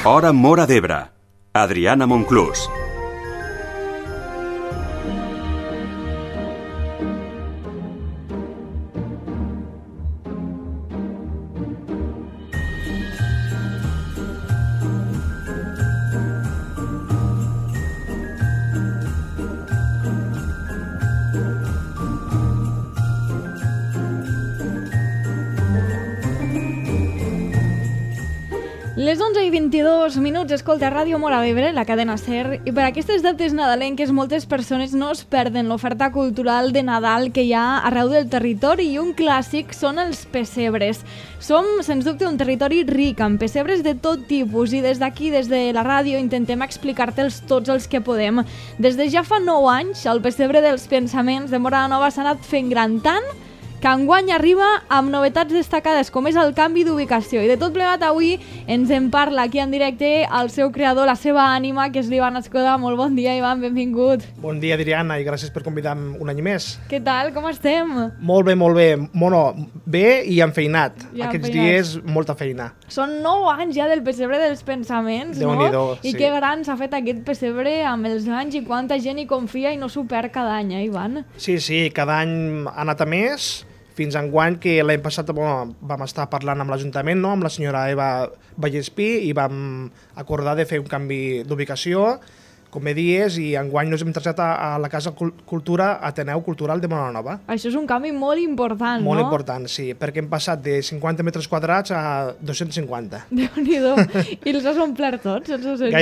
Hora Móra d'Ebre. Adriana Monclús. Les 11:22, escolta Ràdio Móra d'Ebre, la cadena SER, i per aquestes dates nadalenques moltes persones no es perden l'oferta cultural de Nadal que hi ha arreu del territori, i un clàssic són els pessebres. Som, sens dubte, un territori ric, amb pessebres de tot tipus, i des d'aquí, des de la ràdio, intentem explicar-te'ls tots els que podem. Des de ja fa 9 anys, el pessebre dels pensaments de Móra la Nova s'ha anat fent gran, tant que enguany arriba amb novetats destacades com és el canvi d'ubicació, i de tot plegat avui ens en parla aquí en directe el seu creador, la seva ànima, que és l'Ivan Escoda. Molt bon dia, Ivan, benvingut. Bon dia, Adriana, i gràcies per convidar-me un any més. Què tal, com estem? Molt bé, molt bé. Bueno, bé i enfeinat. Aquests dies, molta feina. Són 9 anys ja del pessebre dels pensaments, no? Déu-n'hi-do, sí. I que gran s'ha fet aquest pessebre amb els anys, i quanta gent hi confia i no s'ho perd cada any, Ivan? Sí, cada any ha anat a més, fins enguany, que l'any passat vam estar parlant amb l'Ajuntament, no? Amb la senyora Eva Vallespí, i vam acordar de fer un canvi d'ubicació, com bé dies, i enguany ens hem traslladat a la Casa Cultura Ateneu Cultural de Móra la Nova. Això és un canvi molt important, Molt no? important, sí, perquè hem passat de 50 metres quadrats a 250. Déu-n'hi-do. I els has omplert tots, els 250?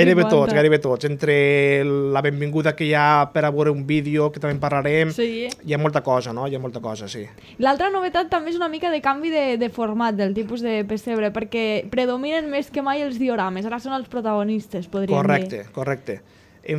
Gairebé tots. Entre la benvinguda que hi ha per a veure un vídeo, que també en parlarem, sí. Hi ha molta cosa, no? Hi ha molta cosa, sí. L'altra novetat també és una mica de canvi de format del tipus de pessebre, perquè predominen més que mai els diorames. Ara són els protagonistes, podríem dir. Correcte. He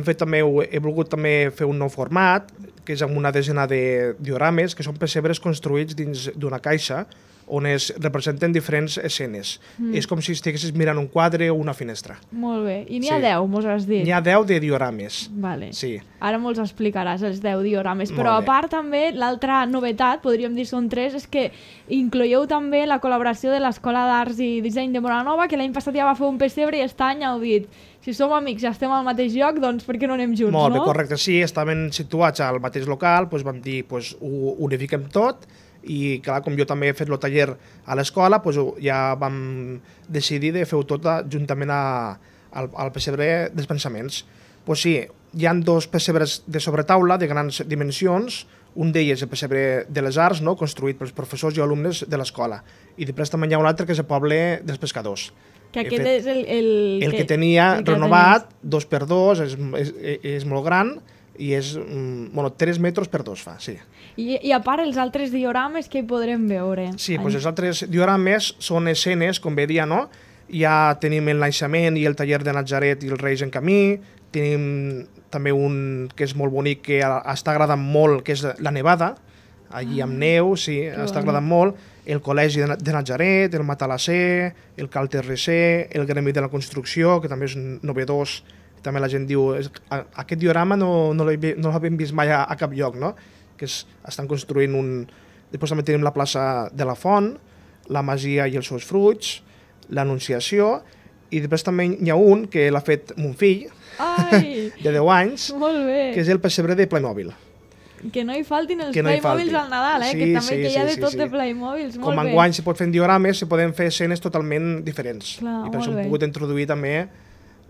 volgut també fer un nou format, que és amb una desena de diorames, que són pessebres construïts dins d'una caixa, on es representen diferents escenes. És com si estiguessis mirant un quadre o una finestra. Molt bé. I n'hi ha 10, mos has dit? N'hi ha 10 de diorames. Vale. Sí. Ara mols explicaràs els 10 diorames. Però a part també, l'altra novetat, podríem dir són 3, és que incloieu també la col·laboració de l'Escola d'Arts i Disseny de Móra la Nova, que l'any passat ja va fer un pessebre, i aquest any heu dit: si som amics i estem al mateix lloc, doncs per què no anem junts, no? Molt bé, correcte. Sí, estaven situats al mateix local, doncs vam dir, ho unifiquem tot, i clar, com jo també he fet el taller a l'escola, ja vam decidir de fer-ho tot juntament al pessebre dels pensaments. Sí, hi ha 2 pessebres de sobretaula de grans dimensions, un d'ells el pessebre de les arts, no? Construït pels professors i alumnes de l'escola, i després també hi ha un altre que és el poble dels pescadors. Que aquest és el que tenia renovat, 2x2, és molt gran, i és 3 metres per 2 fa, sí. I a part, els altres diorames que hi podrem veure? Sí, els altres diorames són escenes, com bé dia, no? Ja tenim el naixement i el taller de Natzaret i els Reis en camí, tenim també un que és molt bonic, que està agradant molt, que és la nevada, allí amb neu, sí, està agradant molt, el col·legi de Natzaret, el Matalasser, el Cal Terresser, el Gremi de la Construcció, que també és novedós. També la gent diu, aquest diorama no l'havíem vist mai a cap lloc, no? Que estan construint un... Després també tenim la plaça de la Font, la Masia i els seus fruits, l'Anunciació, i després també hi ha un que l'ha fet mon fill, de 10 anys, que és el pessebre de Playmobil. Que no hi faltin els Playmobils al Nadal, que també hi ha de tot de Playmobils. Com enguany se pot fer en diorames, se poden fer escenes totalment diferents. I per això hem pogut introduir també...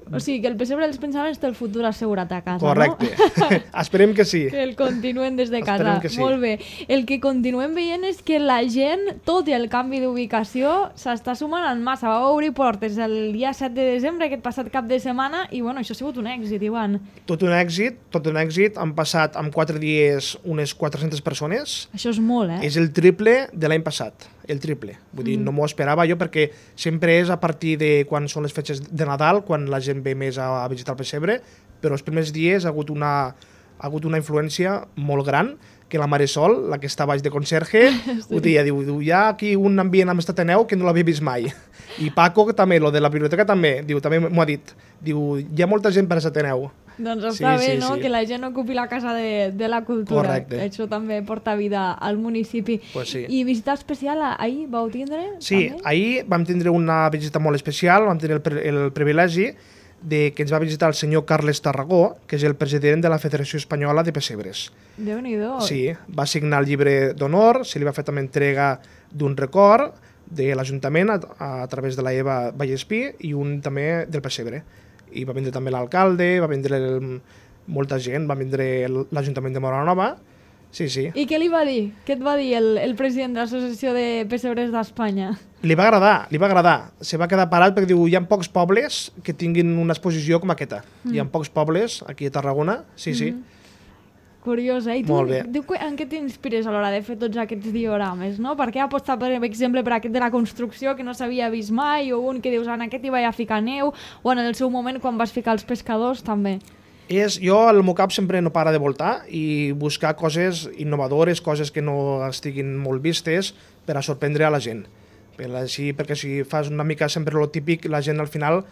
O sigui, que el pessebre dels pensaments té el futur assegurat a casa, correcte. No? Esperem que sí. Que el continuen des de casa. Esperem que sí. Molt bé. El que continuem veient és que la gent, tot i el canvi d'ubicació, s'està sumant en massa. Va obrir portes el dia 7 de desembre, aquest passat cap de setmana, i bueno, això ha sigut un èxit, Ivan. Tot un èxit. Han passat en 4 dies unes 400 persones. Això és molt, És el triple de l'any passat. El triple. Vull dir, no m'ho esperava jo, perquè sempre és a partir de quan són les fetges de Nadal, quan la gent ve més a visitar el pessebre, però els primers dies ha hagut una influència molt gran, que la Marisol, la que està baix de conserge, ho deia, diu, hi ha aquí un ambient amb Ateneu que no l'havia vist mai. I Paco també, lo de la biblioteca també, diu, també m'ho ha dit, diu, hi ha molta gent per Ateneu. Doncs està bé, sí, no?, sí. que la gent ocupi la casa de la cultura. Correcte. Això també porta vida al municipi. Pues sí. I visita especial ahir vau tindre? Sí, també? ahir vam tindre una visita molt especial, vam tenir el privilegi de que ens va visitar el senyor Carles Tarragó, que és el president de la Federació Espanyola de Pessebres. Déu-n'hi-do. Sí, va signar el llibre d'honor, se li va fer també entrega d'un record de l'Ajuntament a través de la Eva Vallespí i un també del Pessebre. I va vindre també l'alcalde, va vindre molta gent, va vindre l'Ajuntament de Móra la Nova. Sí, sí. I què li va dir? Què et va dir el president de l'Associació de Pessebres d'Espanya? Li va agradar. Se va quedar parat perquè diu, hi ha pocs pobles que tinguin una exposició com aquesta. Hi ha pocs pobles aquí a Tarragona, sí, sí. Curiosa. I tu, Molt bé. en què t'inspires a l'hora de fer tots aquests diorames, no? Per què apostar, per exemple, per aquest de la construcció que no s'havia vist mai, o un que dius, en aquest hi vaig a ficar neu, o en el seu moment quan vas ficar els pescadors, també? Jo, el meu cap sempre no para de voltar i buscar coses innovadores, coses que no estiguin molt vistes per a sorprendre a la gent. Perquè si fas una mica sempre el típic, la gent al final,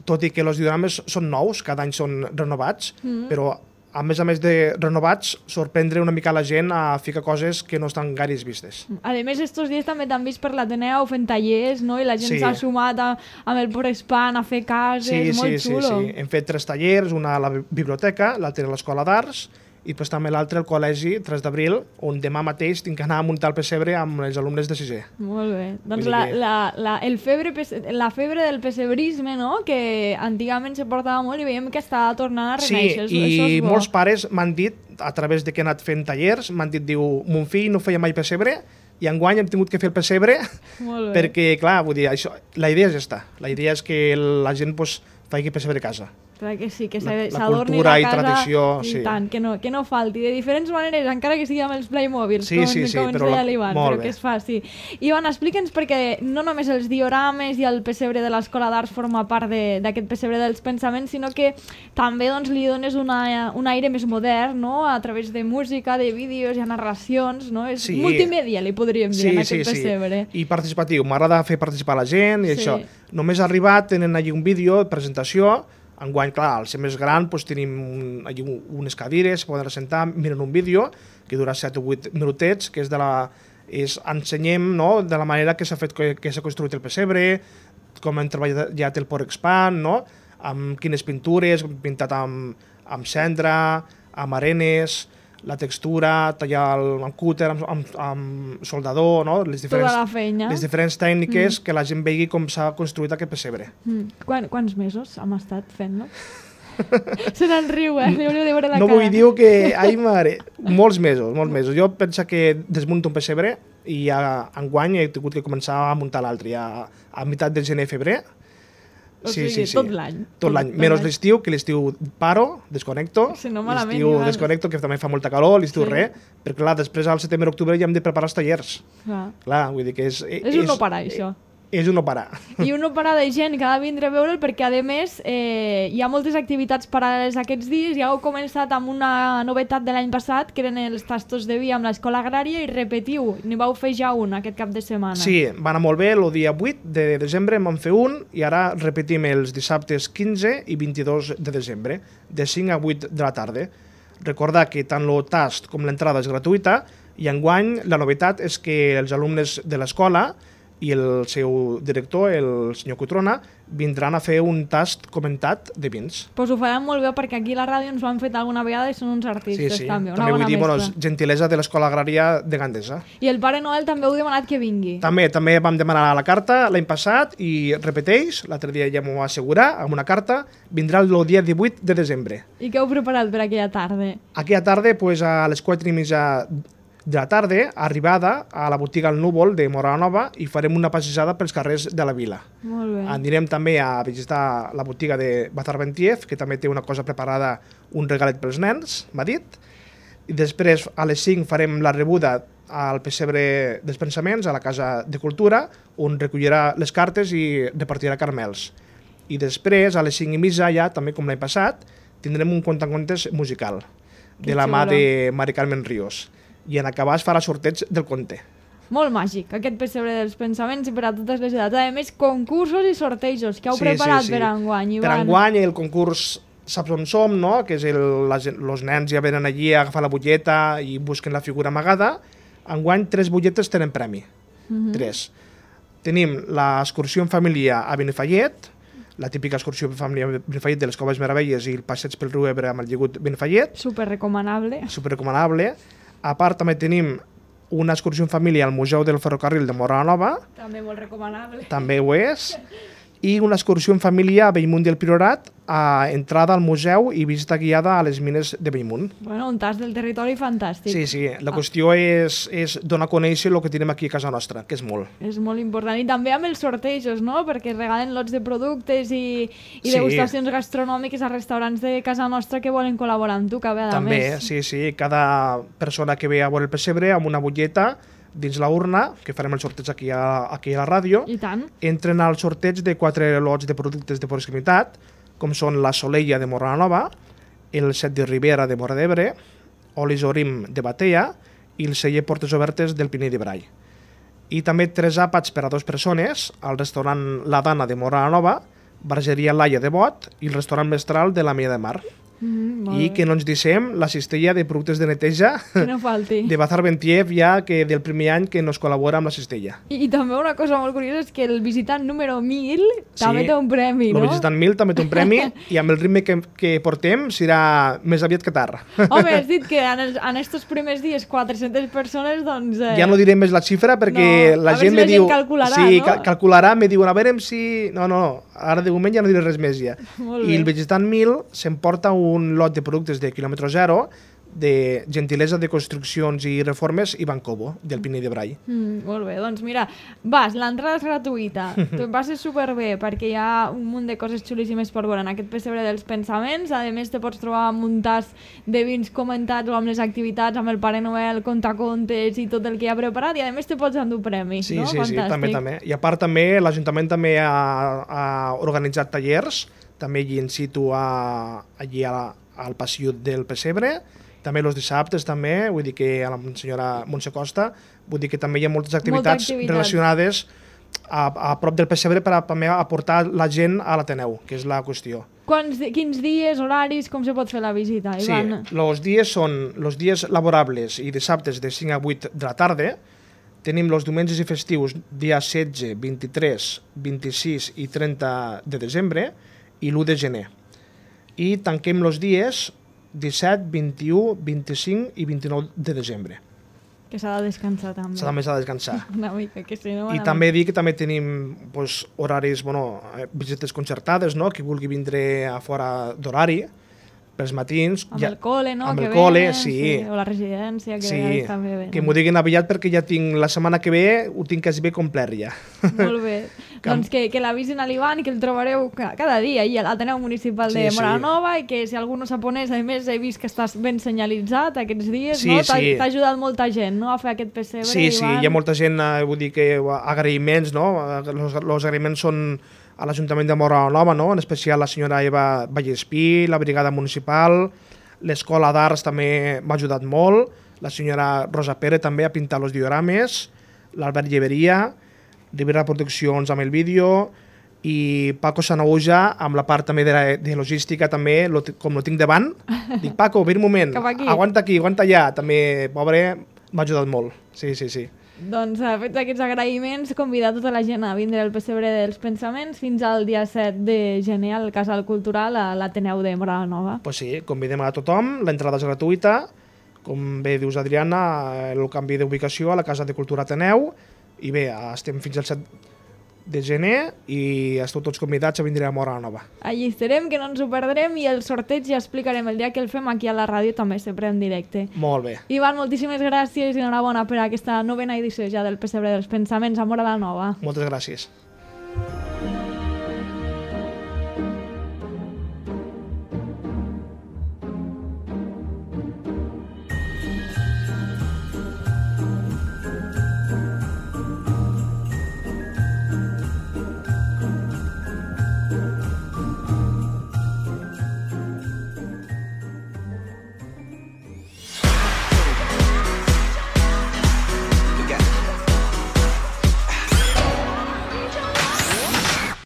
tot i que els diorames són nous, cada any són renovats, però a més de renovats, sorprendre una mica la gent a ficar coses que no estan gaire vistes. A més, estos dies també t'han vist per l'Ateneu fent tallers, no? I la gent s'ha sumat amb el Porespan a fer cases, molt xulo. Sí. Hem fet 3 tallers, una a la biblioteca, l'altre a l'Escola d'Arts, i després també l'altre al col·legi 3 d'abril, on demà mateix tinc que anar a muntar el pessebre amb els alumnes de 6è. Molt bé. Doncs la febre del pessebrisme, no?, que antigament se portava molt i veiem que està tornant a renéixer. Sí, i molts pares m'han dit, a través de que he anat fent tallers, m'han dit, mon fill no feia mai pessebre, i enguany hem tingut que fer el pessebre, perquè, clar, vull dir, la idea és aquesta. La idea és que la gent faci pessebre a casa. Clar que sí, que la s'adorni cultura la i casa tradició, i sí. tant, que no falti, de diferents maneres, encara que sigui amb els Playmobils, com ens deia l'Ivan, però que es faci. Ivan, explica'ns, perquè no només els diorames i el pessebre de l'Escola d'Arts forma part d'aquest pessebre dels pensaments, sinó que també li dones un aire més modern, no?, a través de música, de vídeos, i narracions, no? És multimèdia, li podríem dir, en aquest pessebre. I participatiu, m'agrada fer participar la gent i això. Només ha arribat, tenen allí un vídeo de presentació. Enguany, clar, al ser més gran, tenim allí unes cadires, poden assentar, miren un vídeo que dura 7 o 8 minutets, que ensenyem, no?, de la manera que s'ha construït el pessebre, com hem treballat el Porespan, no?, amb quines pintures, pintat amb cendra, amb arenes, la textura, tallar amb cúter, amb soldador, no?, les diferents tècniques que la gent vegi com s'ha construït aquest pessebre. Quants mesos hem estat fent-lo? Se n'en riu, hauríeu de veure la cara. No vull dir que... Ai, mare, molts mesos. Jo penso que desmunto un pessebre i enguany he tingut que començar a muntar l'altre, ja a meitat de gener-febrer. O sigui, tot l'any. Tot l'any, menys l'estiu, que l'estiu paro, desconnecto, l'estiu desconnecto, que també fa molta calor, l'estiu res, perquè clar, després al setembre-octubre ja hem de preparar els tallers. Clar, vull dir que és un no parar, això. És un no parar. I un no parar de gent que ha de vindre a veure'l perquè, a més, hi ha moltes activitats paral·leles aquests dies. Ja heu començat amb una novetat de l'any passat, que eren els tastos de vi amb l'Escola Agrària, i repetiu, n'hi vau fer ja un aquest cap de setmana. Sí, va anar molt bé, el dia 8 de desembre en vam fer un, i ara repetim els dissabtes 15 i 22 de desembre, de 5 a 8 de la tarda. Recordar que tant el tast com l'entrada és gratuïta, i enguany la novetat és que els alumnes de l'escola i el seu director, el senyor Cotrona, vindran a fer un tast comentat de vins. Doncs ho faran molt bé, perquè aquí a la ràdio ens ho han fet alguna vegada i són uns artistes, també. També vull dir, gentilesa de l'Escola Agrària de Gandesa. I el Pare Noel també heu demanat que vingui. També vam demanar a la carta l'any passat i repeteix, l'altre dia ja m'ho va assegurar, amb una carta, vindrà el dia 18 de desembre. I què heu preparat per aquella tarda? Aquella tarda, a les 4:30 de la tarda, arribada a la botiga El Núvol de Móra la Nova, i farem una passejada pels carrers de la vila. Molt bé. Anirem també a visitar la botiga de Bazar Bentiev, que també té una cosa preparada, un regalet pels nens, m'ha dit. I després, a les 5, farem la rebuda al pessebre dels pensaments, a la Casa de Cultura, on recollirà les cartes i repartirà caramels. I després, a les 5:30, ja, també com l'any passat, tindrem un contacontes musical de la mà de Mari Carmen Ríos. I en acabar es farà sorteig del conte. Molt màgic, aquest pessebre dels pensaments, i per a totes les edats. A més, concursos i sortejos que heu preparat per enguany, Ivan. Per enguany el concurs saps on som, no? Que és els nens ja venen allí a agafar la butlleta i busquen la figura amagada. Enguany 3 butlletes tenen premi. 3. Tenim l'excursió en família a Benifallet, la típica excursió en família a Benifallet de les Coves Meravelles i el passeig pel riu Ebre amb el lligut Benifallet. Super recomanable. A part també tenim una excursió en família al Museu del Ferrocarril de Móra la Nova. També molt recomanable. També ho és. I una excursió en família a Bellmunt del Priorat, a entrada al museu i visita guiada a les mines de Bellmunt. Bueno, un tas del territori fantàstic. Sí. La qüestió és donar a conèixer el que tenim aquí a casa nostra, que és molt. És molt important. I també amb els sortejos, no? Perquè regalen lots de productes i degustacions gastronòmiques a restaurants de casa nostra que volen col·laborar amb tu, que a també, més. Sí. Cada persona que ve a veure el pessebre amb una butlleta dins la urna, que farem el sorteig aquí a la ràdio, I tant. entren al sorteig de 4 lots de productes de proximitat, com són la Soleia de Móra la Nova, el Set de Ribera de Móra d'Ebre, Olis Orim de Batea i el celler Portes Obertes del Pinell de Brai. I també 3 àpats per a 2 persones al restaurant La Dana de Móra la Nova, Bargeria Laia de Bot i el restaurant Mestral de la Mia de Mar. I que no ens deixem la cistella de productes de neteja que no falti. de Bazar Bentiev, ja que del primer any que nos col·labora amb la cistella. I també una cosa molt curiosa és que el visitant número 1000 també té un premi, no? El visitant 1000 també té un premi i amb el ritme que portem serà més aviat que tard. Home, has dit que en estos primers dies 400 persones, doncs... Ja no diré més la xifra perquè la gent me diu... calcularà, sí, no? calcularà, me diuen a veure si... No, ara de moment ja no diré res més ja. Molt I bé. el visitant 1000 s'emporta un lot de productes de quilòmetre zero de gentilesa de construccions i reformes i Bancobo, del Pinell de Brai. Molt bé, doncs mira, l'entrada és gratuïta, tu passes superbé perquè hi ha un munt de coses xulíssimes per veure en aquest pessebre dels pensaments, a més te pots trobar amb un tas de vins comentats o amb les activitats, amb el Pare Noel, contacontes i tot el que hi ha preparat, i a més te pots endur premi, Sí, no? sí, Fantàstic. també. I a part també, l'Ajuntament també ha organitzat tallers, també allí in situ allí al passió del pessebre, també els dissabtes també, vull dir que a la senyora Montse Costa, vull dir que també hi ha moltes activitats relacionades a prop del pessebre per també aportar la gent a l'Ateneu, que és la qüestió. Quins dies, horaris, com se pot fer la visita, Ivan? Sí, els dies són els dies laborables i dissabtes de 5 a 8 de la tarda. Tenim els diumenges i festius dia 16, 23, 26 i 30 de desembre i l'1 de gener. I tanquem els dies 17, 21, 25 i 29 de desembre. Que s'ha de descansar també. S'ha de descansar. Una mica, que si no... I també dir que també tenim horaris, visites concertades, no? Qui vulgui vindre a fora d'horari, pels matins. Amb el col·le, no? Amb que el col·le, venen, sí. O la residència, que sí, també venen. que m'ho diguin aviat perquè ja tinc la setmana que ve, ho tinc quasi bé complet ja. Molt bé. Doncs que l'avisin a l'Ivan i que el trobareu cada dia i a l'Ateneu Municipal de Móra la Nova, i que si algú no sap on és, a més he vist que estàs ben senyalitzat aquests dies, no? T'ha ajudat molta gent, no?, a fer aquest pessebre, Ivan. Sí, hi ha molta gent, vull dir que agraïments, no? Els agraïments són a l'Ajuntament de Móra la Nova, no? En especial la senyora Eva Vallespí, la brigada municipal, l'Escola d'Arts també m'ha ajudat molt, la senyora Rosa Pere també ha pintat els diorames, l'Albert Lleveria, Ribera Produccions amb el vídeo, i Paco Sanauja amb la part també de logística, també, com lo tinc davant, dic, Paco, ve un moment, aguanta aquí, aguanta allà, també, pobre, m'ha ajudat molt, sí. Doncs fets aquests agraïments, convidar tota la gent a vindre al pessebre dels pensaments fins al dia 7 de gener al Casal Cultural a l'Ateneu de Móra la Nova. Pues sí, convidem a tothom, l'entrada és gratuïta, com bé dius Adriana, el canvi d'ubicació a la Casa de Cultura Ateneu, i bé, estem fins al 7 de gener i esteu tots convidats a vindre a Móra la Nova. Allí estarem, que no ens ho perdrem, i el sorteig ja explicarem el dia que el fem aquí a la ràdio, també sempre en directe. Molt bé. Ivan, moltíssimes gràcies i enhorabona per aquesta novena edició ja del Pessebre dels Pensaments a Móra la Nova. Moltes gràcies.